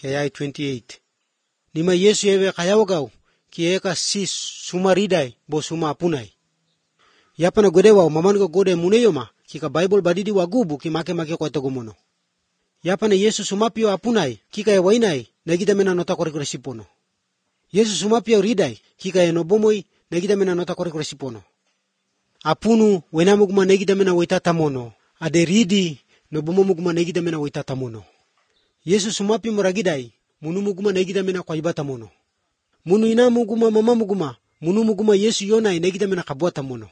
Kaya 28. Nima Yesu ewe kayawagaw kieka si sumariday bo sumapunay. Yapa na godewa maman ko gode muneyoma kika Bible badidi wagubu kimake ko tagumono. Yapa na Yesu sumapio apunay kika ewainay nagita mena nota kore sipono. Yesu sumapio riday kika enobomoy nagita mena nota kore sipono. Apunu wenamuguma nagita mena waitatamono. Ade ridi nobomomuguma nagita mena waitatamono. Yesu sumapio muragiday munumuguma nagita mena kwa ibatamono. Munu inamuguma mamamuguma munumuguma Yesu yonay nagita mena kabuatamono.